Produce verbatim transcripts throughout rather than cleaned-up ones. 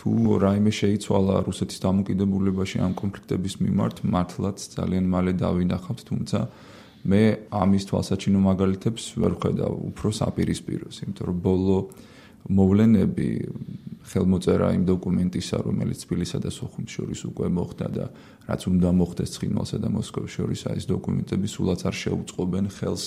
თუ რაიმე შეიცვალა რუსეთის დამოკიდებულებაში ამ კონფლიქტების მიმართ, მართლაც ძალიან მალე დავინახავთ, თუმცა მე ამის თვალსაჩინო მაგალითებს ვერ ვხედავ, უფრო საპირისპიროს, იმიტომ რომ ბოლო მოვლენები ხელმოწერა იმ დოკუმენტისა, რომელიც თბილისსა და სოხუმს შორის უკვე მოხდა და რაც უნდა მოხდეს ცხინვალსა და მოსკოვს შორის, ეს დოკუმენტები სულაც არ შეუწყობენ ხელს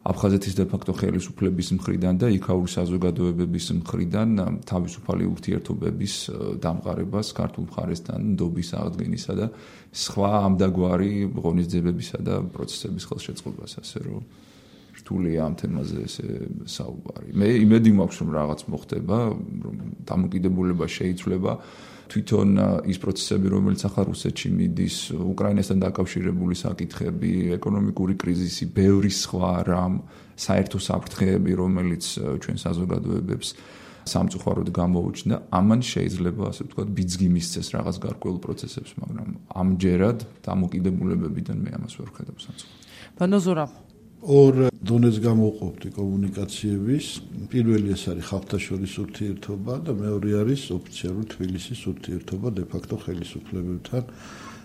აფხაზეთის დე-ფაქტო ხელისუფლების მხრიდან და იქაური საზოგადოებების მხრიდან თავისუფალი ურთიერთობების დამყარებას ქართულ მხარესთან, ნდობის აღდგენისა და სხვა ამდაგვარი ღონისძიებებისა და პროცესების ხელშეწყობას, ასე რომ რთულია ამ თემაზე ესე საუბარი. მე იმედი მაქვს, რომ რაღაც მოხდება, რომ დამოკიდებულება შეიცვლება. თვითონ ის პროცესები, რომელიც ახლა რუსეთში მიდის, უკრაინასთან დაკავშირებული საკითხები, ეკონომიკური კრიზისი, ბევრი სხვა რამ, საერთო საფრთხეები, რომელიც ჩვენ საზოგადოებებს სამწუხაროდ გამოუჩნდა, ამან შეიძლება, ასე ვთქვათ, ბიძგი მისცეს რაღაც გარკვეულ პროცესებს, მაგრამ ამჯერად დამოკიდებულებებიდან მე ამას ვერ ვხედავ სამწუხაროდ. ბანოზურა ორ დონეს გამოვყოფდი კომუნიკაციების. პირველი ეს არის ხალხთაშორის ურთიერთობა და მეორე არის ოფიციალური თბილისის ურთიერთობა დე-ფაქტო ხელისუფლებებთან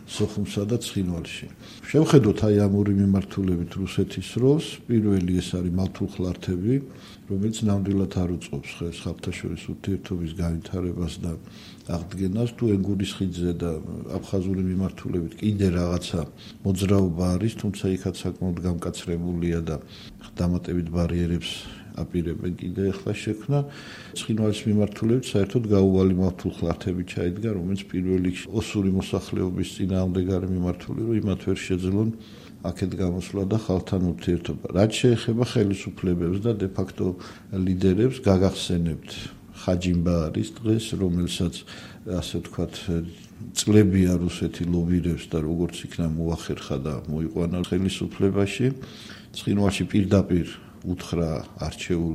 სოხუმსა და ცხინვალში. შევხედოთ აი ამ ორი მიმართულებით რუსეთის როლს. პირველი ეს არის მალთულხლართები, რომელიც ნამდვილად არ უწყობს ხელს ხალხთაშორის ურთიერთობის განვითარებას და აღდგენას. თუ ენგურის ხიდზე და აფხაზური მიმართულებით კიდე რაღაცა მოძრაობა არის, თუმცა იქაც საკმაოდ გამკაცრებულია და დამატებით ბარიერებს აპირებენ კიდე ახლა შექმნა. ცხინვალის მიმართულებით საერთოდ გაუვალი მალთულხლართები ჩაიდგა, რომელიც პირველ რიგში ოსური მოსახლეობის წინააღმდეგარი მიმართული, რომ იმათ ვერ შეძლონ აქეთ გამოსვლა და ხალხთან ურთიერთობა. რაც შეეხება ხელისუფლებებს და დე-ფაქტო ლიდერებს, გაგახსენებთ ხაჯიმბა არის დღეს, რომელსაც ასე ვთქვათ წლებია რუსეთი ლობირებს და როგორც იქნა მოახერხა და მოიყვანა ხელისუფლებაში. ცხინვალში პირდაპირ უთხრა არჩეულ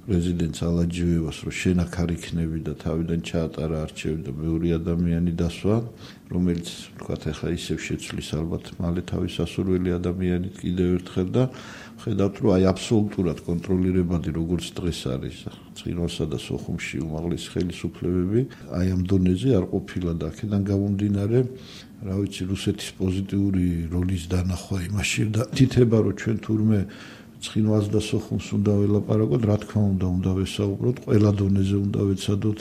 პრეზიდენტს ალაჯიევას, რომ შენ აქ არ იქნები და თავიდან ჩაატარა არჩევი და ბევრი ადამიანი დასვა, რომელიც ვთქვათ ახლა ისევ შეცვლის ალბათ მალე თავის ასურველი ადამიანით კიდევ ერთხელ და ხედავთ, რომ აი აბსოლუტურად კონტროლირებადი როგორც დღეს არის ცხინვალსა და სოხუმში უმაღლესი ხელისუფლებები, აი ამ დონეზე არ ყოფილა და აქედან გამომდინარე, რა ვიცი, რუსეთის პოზიტიური როლის დანახვა იმაში და თითება, რომ ჩვენ თურმე ცხინვალს და სოხუმს უნდა ველაპარაკოთ, რა თქმა უნდა, უნდა ვესაუბროთ, ყველა დონეზე უნდა ვეცადოთ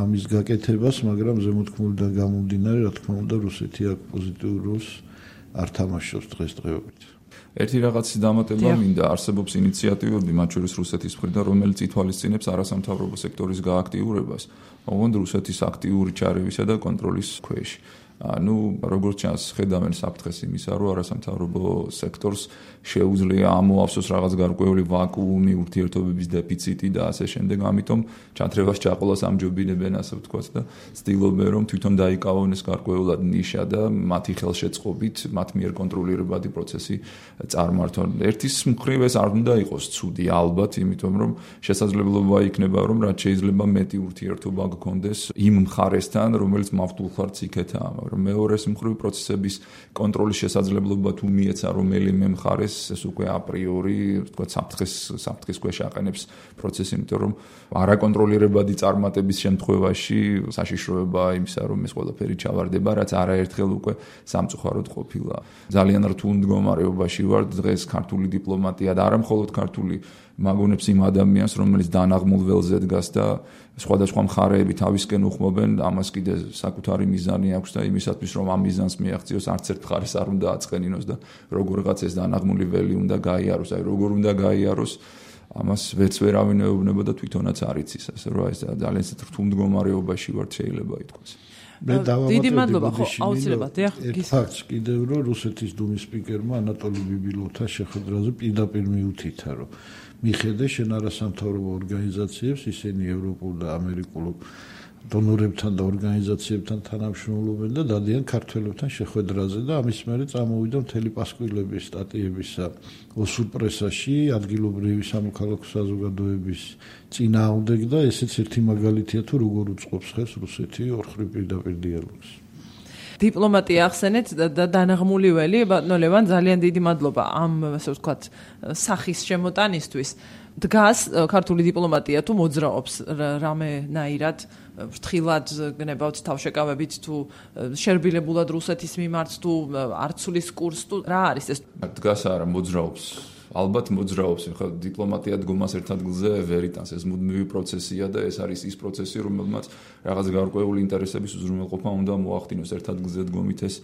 ამის გაკეთებას, მაგრამ ზემოთქმულიდან გამომდინარე, რა თქმა უნდა, რუსეთი აქ პოზიტიურ როლს არ თამაშობს დღესდღეობით. ერთი რაღაცის დამატება მინდა, არსებობს ინიციატივები, მათ შორის რუსეთის მხრიდან, რომელიც ითვალისწინებს არასამთავრობო სექტორის გააქტიურებას, ოღონდ რუსეთის აქტიური ჩარევისა და კონტროლის ქვეშ. ну, როგორც ჩანს, ხედავენ საფრთხეს იმისა, რომ არასამთავრობო სექტორს შეუძლია ამოავსოს რაღაც გარკვეული ვაკუუმი, ურთიერთობების დეფიციტი და ასე შემდეგ, ამიტომ ჩათრევას ჩაყოლას ამჯობინებენ, ასე ვთქვათ და ცდილობენ, რომ თვითონ დაიკავონ ეს გარკვეულად ნიშა და მათი ხელშეწყობით, მათ მიერ კონტროლირებადი პროცესი წარმართონ. ერთის მხრივ ეს არ უნდა იყოს ცუდი, ალბათ, იმიტომ რომ შესაძლებლობა იქნება, რომ რაც შეიძლება მეტი ურთიერთობა გქონდეს იმ მხარესთან, რომელიც მავთულხლარს იქეთაა. მეორეს მხრივ პროცესების კონტროლის შესაძლებლობა თუ მიეცა რომელიმე მხარეს ეს უკვე აპრიორი ვთქვათ საფრთხეს საფრთხის ქვეშ აყენებს პროცესი, იმიტომ რომ არაკონტროლირებადი წარმატების შემთხვევაში საშიშროებაა იმისა, რომ ეს ყველაფერი ჩავარდება, რაც არაერთხელ უკვე სამწუხაროდ ყოფილა. ძალიან რთულ მდგომარეობაში ვარ დღეს ქართული დიპლომატია და არა მხოლოდ ქართული მაგონებს იმ ადამიანს, რომელიც დანაღმულ ველზე დგას და სხვადასხვა მხარეები თავისკენ უხმობენ, ამას კიდე საკუთარი მიზანი აქვს და იმისათვის, რომ ამ მიზანს მიაღწიოს, არც ერთ მხარეს არ უნდა აწყენინოს და როგორღაც ეს დანაღმული ველი უნდა გაიაროს, აი როგორ უნდა გაიაროს, ამას ვერც ვერავინ ეუბნება და თვითონაც არ იცის, ასე რომ ეს ძალიან რთულ მდგომარეობაში ვართ, შეიძლება ითქვას. დიდი მადლობა, ხო, აუცილებლად, დიახ, გისმენთ კიდევ რომ რუსეთის დუმის სპიკერმა ანატოლი ბიბილოვთან შეხვედრაზე პირდაპირ მიუთითა, რომ მიხედე შენ არასამთავრობო ორგანიზაციებს, ისინი ევროპულ და ამერიკულ დონორებთან და ორგანიზაციებთან თანამშრომლობენ და დადიან ქართველებთან შეხვედრაზე და ამის მერე წამოვიდა მთელი პასკვილების სტატიებისა ოსურ პრესაში, ადგილობრივი სამოქალაქო საზოგადოების წინააღმდეგ და ესეც ერთი მაგალითია თუ როგორ უწყობს ხელს რუსეთი ორ მხრივ პირდაპირ დიალოგს. დიპლომატია ახსენეთ და დანაღმული ველი, ბატონო ლევან, ძალიან დიდი მადლობა ამ ასე ვთქვათ სახის შემოტანისთვის. დგას ქართული დიპლომატია თუ მოძრაობს რამენაირად ფრთხილად გნებავთ თავშეკავებით თუ შერბილებულად რუსეთის მიმართ თუ არცulis კურსს თუ რა არის ეს? დგას არა მოძრაობს. ალბათ მოძრაობს, ხა დიპლომატია დგომას ერთ ადგილზე ვერ იტანს, ეს მუდმივი პროცესია და ეს არის ის პროცესი, რომელმაც რაღაც გარკვეული ინტერესების უზრუნველყოფა უნდა მოახდინოს ერთ ადგილზე დგომით ეს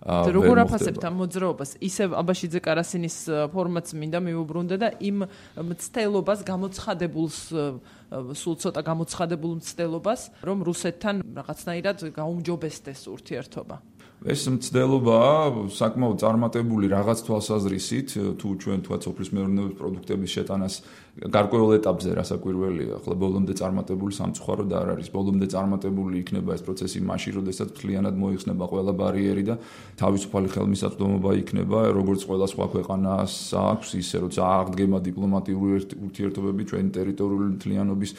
როგორ აფასებთ ამ მოძრაობას? ისევ აბაშიძე კარასინის ფორმატს მინდა მიუბრუნდე და იმ მცდელობას გამოცხადებულს სულ ცოტა გამოცხადებულ მცდელობას, რომ რუსეთთან რაღაცნაირად გაუმჯობესდეს ურთიერთობა. ეს მცდელობა საკმაოდ წარმატებული რაღაც თვალსაზრისით, თუ ჩვენ თქვა სოფლის მეურნეობის პროდუქტების შეტანას გარკვეულ ეტაპზე რასაკვირველია, ახლა ბოლომდე წარმატებული სამწუხაროდ არ არის. ბოლომდე წარმატებული იქნება ეს პროცესი მაშინ, როდესაც მთლიანად მოიხსნება ყველა ბარიერი და თავისუფალი ხელმისაწვდომობა იქნება, როგორც ყველა სხვა ქვეყანას აქვს, ისე როცა აღდგება დიპლომატიური ურთიერთობები ჩვენი ტერიტორიული მთლიანობის,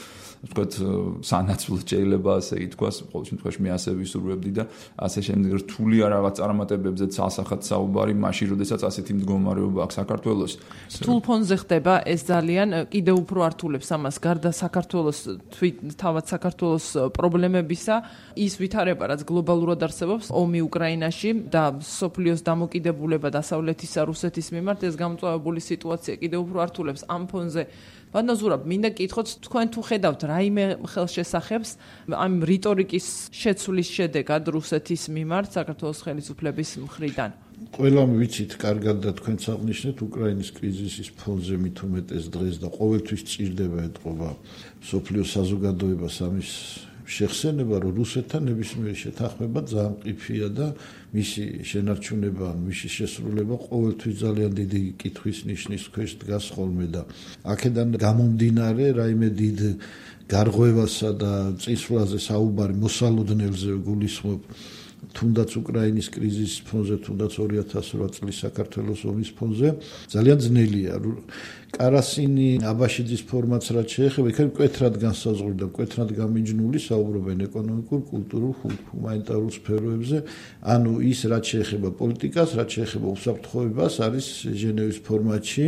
ვთქვათ, სანაცვლოდ შეიძლება ასე ითქვას, ყოველ შემთხვევაში მე ასე ვისურვებდი და ასე შემდეგ რთული რაღაც წარმატებებზეც ასახათ საუბარი, მაშინ, როდესაც ასეთი მდგომარეობა აქვს საქართველოს. რთულ ფონზე ხდება ეს ძალიან კიდევ უფრო ართულებს ამას გარდა საქართველოს თავად საქართველოს პრობლემებისა, ის ვითარება, რაც გლობალურად არსებობს, ომი უკრაინაში და სოფლიოს დამოკიდებულება დასავლეთისა რუსეთის მიმართ, ეს გამწვავებული სიტუაცია კიდევ უფრო ართულებს ამ ფონზე. ბატონო ზურაბ, მინდა გითხოთ, თქვენ თუ ხედავთ რაიმე ხელშესახებს ამ რიტორიკის შეცვლის შედეგად რუსეთის მიმართ საქართველოს ხელისუფლების მხრიდან? ყველამ ვიცით კარგად და თქვენც აღნიშნეთ უკრაინის კრიზისის ფონზე მით უმეტეს დღეს და ყოველთვის ჭირდება ეთყობა სოფლიო საზოგადოებას ამის შეხსენება, რომ რუსეთთან ნებისმიერი შეთანხმება ძალიან მყიფეა და მისი შენარჩუნება, მისი შესრულება ყოველთვის ძალიან დიდი კითხვის ნიშნის ქვეშ დგას ხოლმე და აქედან გამომდინარე რაიმე დიდ გარღვევასა და წინსვლაზე საუბარი მოსალოდნელზე გულისხმობ თუნდაც უკრაინის კრიზისის ფონზე, თუნდაც ორი ათას ორი წლის საქართველოს ომის ფონზე ძალიან ძნელია. კარასინი აბაშიძის ფორმატს რაც შეეხება, იქ მკვეთრად განსაზღვრული და მკვეთრად გამიჯნული საუბრობენ ეკონომიკურ, კულტურულ, ჰუმანიტარულ სფეროებზე. ანუ ის რაც შეეხება პოლიტიკას, რაც შეეხება უსაფრთხოებას, არის ჟენევის ფორმატში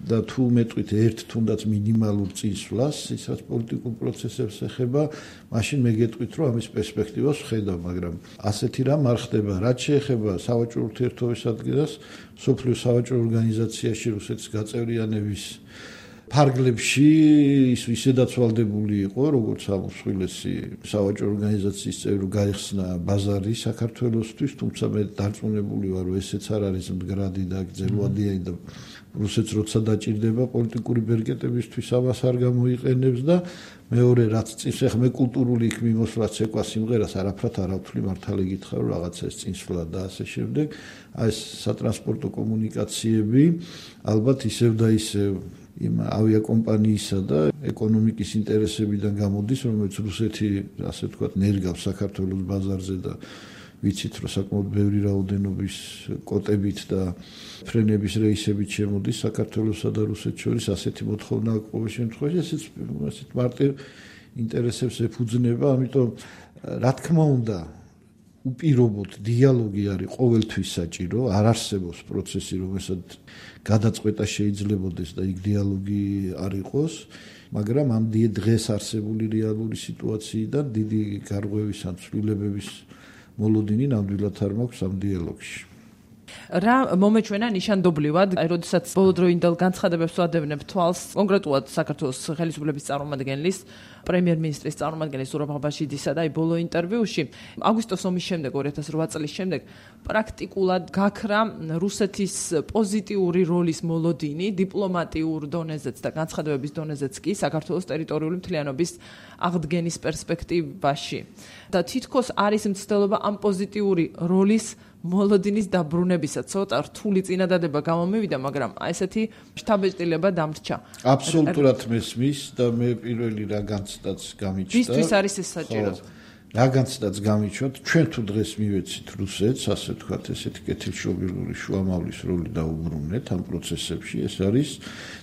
და თუ მეტყვით ერთ თუნდაც მინიმალურ წინსვლას, ის რაც პოლიტიკურ პროცესებს ეხება, მაშინ მე გეტყვით, რომ ამის პერსპექტივას ვხედავ, მაგრამ ასეთი რამ არ ხდება. რაც შეეხება სავაჭრო ურთიერთობების ადგილას, სოფლიო სავაჭრო ორგანიზაციაში რუსეთის გაწევრიანების ფარგლებში ის ისედაც ვალდებული იყო, როგორც ამსხვილესი სავაჭრო ორგანიზაციის წევრი გაიხსნა ბაზარი საქართველოსთვის, თუმცა მე დარწმუნებული ვარ, რომ ესეც არ არის მდგრადი და გრძელვადიანი და რუსეთს როცა დაჭირდება პოლიტიკური ბერკეტებისთვის ამას არ გამოიყენებს და მეორე რაც წინს ახ მე კულტურული იქ მიმოსვლაც ეკვა სიმღერას არაფრად არ ავთვლი მართალი გითხრა რომ რაღაცა ეს წინსვლა და ასე შემდეგ აი ეს სატრანსპორტო კომუნიკაციები ალბათ ისევ და ისევ იმ ავიაკომპანიისა და ეკონომიკის ინტერესებიდან გამოდის რომელიც რუსეთი ასე ვთქვათ ნერგავს საქართველოს ბაზარზე და ვიცით რომ საკმაოდ ბევრი რაოდენობის კოტებით და ფრენების რეისებით შემოდის საქართველოსა და რუსეთს შორის ასეთი მოთხოვნა ყოველ შემთხვევაში ესეც ასეთ მარტივ ინტერესებს ეფუძნება ამიტომ რა თქმა უნდა უპირობოდ დიალოგი არის ყოველთვის საჭირო არ არსებობს პროცესი რომელსაც გადაწყვეტა შეიძლებაოდეს და იქ დიალოგი არ იყოს მაგრამ ამ დღეს არსებული რეალური სიტუაციიდან დიდი გარღვევის ან ცვლილებების მოლოდინი ნამდვილად არ მაქვს ამ დიალოგში. რა მომეჩვენა ნიშანდობლივად, აი როდესაც ბოლოდროინდელ განცხადებებს ვადევნებ თვალს, კონკრეტულად საქართველოს ხელისუფლების წარმომადგენლის, პრემიერ-მინისტრის წარმომადგენლის ზურაბ აბაშიძისა და აი ბოლო ინტერვიუში, აგვისტოს ომის შემდეგ ორი ათას რვა წლის შემდეგ, პრაქტიკულად გაქრა რუსეთის პოზიტიური როლის მოლოდინი დიპლომატიურ დონეზეც და განცხადებების დონეზეც კი საქართველოს ტერიტორიული მთლიანობის აღდგენის პერსპექტივაში. და თითქოს არის მცდელობა ამ პოზიტიური როლის მოლოდინის დაბრუნებისა, ცოტა რთული წინადადება გამომივიდა, მაგრამ ესეთი შთაბეჭდილება დამრჩა. აბსოლუტურად მესმის და მე პირველი რა განცდაც გამიჩნდა. ვისთვის არის ეს საჭირო? რაგანცდაც გამიჩვენთ, ჩვენ თუ დღეს მივეცით რუსეთს, ასე ვთქვათ, ესეთი კეთილშობილური შუამავლის როლი დაუბრუნეთ ამ პროცესებში, ეს არის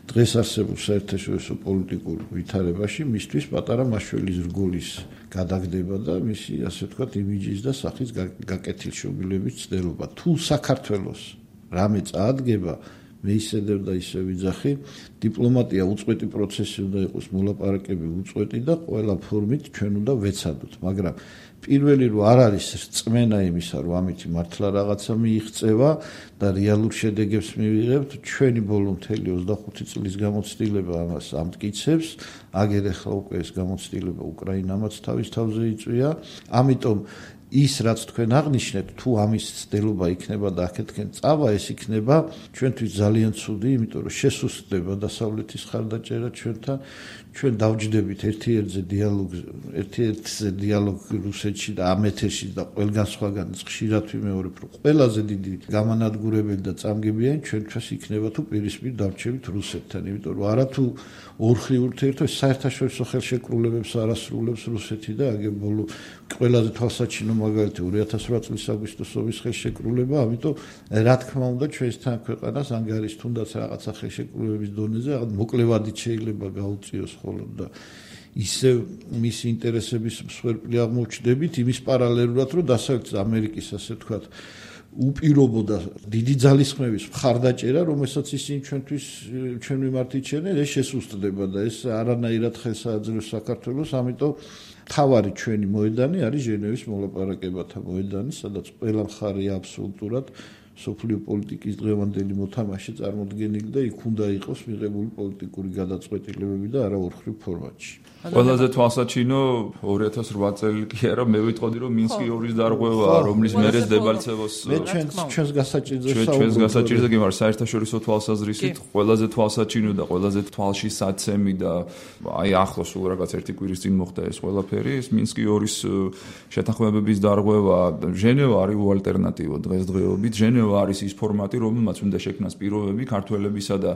დღეს არსებულ საერთაშორისო პოლიტიკურ ვითარებაში მისთვის პატარა მაშველი ზრგოლის გადაგდება და მისი, ასე ვთქვათ, იმიჯის და სახის გაკეთილშობილების ცდელობა. თუ საქართველოს რამე წაადგება, მე ისედევ და ისე ვიძახი, დიპლომატია უწყვეტი პროცესი უნდა იყოს, მოლაპარაკები უწყვეტი და ყველა ფორმით ჩვენ უნდა ვეცადოთ, მაგრამ პირველი რო არ არის რწმენა იმისა, რომ ამით მართლა რაღაცა მიიღწევა და რეალურ შედეგებს მივიღებთ, ჩვენი ბოლო მთელი ოცდახუთი წლის გამოცდილება ამას ამტკიცებს, აგერ ახლა უკვე ეს გამოცდილება უკრაინამაც თავის თავზე იწვია, ამიტომ ის რაც თქვენ აღნიშნეთ, თუ ამის ცდელობა იქნება და აქეთკენ წავა, ეს იქნება ჩვენთვის ძალიან ცუდი, იმიტომ რომ შესუსტდება დასავლეთის ხარდაჭერა ჩვენთან, ჩვენ დავჯდებით ერთ-ერთზე დიალოგზე, ერთ-ერთზე დიალოგი რუსეთში და ამ ეთერში და ყველგან სხვაგან ხშირად ვიმეორებ, რომ ყველაზე დიდი გამანადგურებელი და წამგებიანი ჩვენთვის იქნება თუ პირისპირ დავრჩებით რუსეთთან, იმიტომ რომ არათუ ორხრივ ურთიერთობებს საერთაშორისო ხელშეკრულებებს არასრულებს რუსეთი და აგერ ბოლო ყველაზე თვალსაჩინო მაგალითი ორი ათას ორი წლის აგვისტოს ომის ხელშეკრულება, ამიტომ რა თქმა უნდა ჩვენთან ქვეყანას ანგარის თუნდაც რაღაცა ხელშეკრულების დონეზე რაღაც მოკლევადით შეიძლება გაუწიოს ხოლმე და ისევ მის ინტერესების მსხვერპლი აღმოჩნდებით იმის პარალელურად, რომ დასავლეთ ამერიკის ასე ვთქვათ უპირობო და დიდი ძალისხმევის მხარდაჭერა, რომელსაც ისინი ჩვენთვის ჩვენ მიმართ იჩენენ, ეს შესუსტდება და ეს არანაირად ხელს აძლევს საქართველოს, ამიტომ თავარი ჩვენი მოედანი არის ჟენევის მოლაპარაკებათა მოედანი, სადაც ყველა მხარე აბსოლუტურად სოფლიო პოლიტიკის დღევანდელი მოთამაშე წარმოდგენილი და იქ უნდა იყოს მიღებული პოლიტიკური გადაწყვეტილებები და არა ორხრივ ფორმატში. ყველაზე თვალსაჩინო ორი ათას რვა წელი კი არა, მე ვიტყოდი რომ მინსკი ორის დარღვევაა, რომლის მერე დებალცევოს მე ჩვენს ჩვენს გასაჭირზე საუბრობ. ჩვენს გასაჭირზე კი მაგრამ საერთაშორისო თვალსაზრისით ყველაზე თვალსაჩინო და ყველაზე თვალში საცემი და აი ახლოს სულ რაღაც ერთი კვირის წინ მოხდა ეს ყველაფერი, ეს მინსკი ორის შეთანხმებების დარღვევა, ჟენევა არის ალტერნატივა დღესდღეობით, ჟენევა არის ის ფორმატი, რომელმაც უნდა შექმნას პირობები ქართველებისა და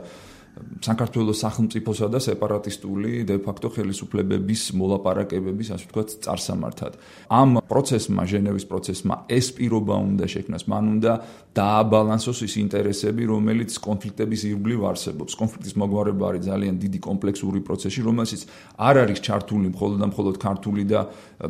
საქართველოს სახელმწიფოსა და სეპარატისტული დე-ფაქტო ხელისუფლებების მოლაპარაკებების, ასე ვთქვათ, წარსამართად. ამ პროცესმა, ჟენევის პროცესმა ეს პირობა უნდა შექმნას, მან უნდა დააბალანსოს ის ინტერესები, რომელიც კონფლიქტების ირგვლივ არსებობს. კონფლიქტის მოგვარება არის ძალიან დიდი კომპლექსური პროცესი, რომელშიც არ არის ჩართული მხოლოდ და მხოლოდ ქართული და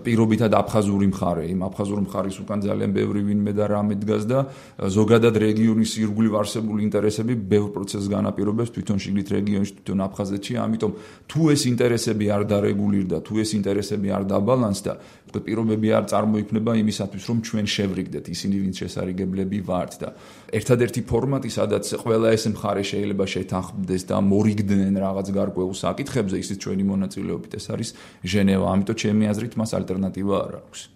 პირობითად აფხაზური მხარე. იმ აფხაზური მხარის უკან ძალიან ბევრი ვინმე და რამე დგას და ზოგადად რეგიონის ირგვლივ არსებული ინტერესები ბევრ პროცესს განაპირობებს თვითონ შიგნით რეგიონში, თვითონ აფხაზეთში, ამიტომ თუ ეს ინტერესები არ დარეგულირდა, თუ ეს ინტერესები არ დაბალანსდა, პირობები არ წარმოიქმნება იმისათვის, რომ ჩვენ შევრიგდეთ ისინი, ვინც შესარიგებლები ვართ და ერთადერთი ფორმატი, სადაც ყველა ეს მხარე შეიძლება შეთანხმდეს და მორიგდნენ რაღაც გარკვეულ საკითხებზე, ისიც ჩვენი მონაწილეობით, ეს არის ჟენევა, ამიტომ ჩემი აზრით მას ალტერნატივა არ აქვს.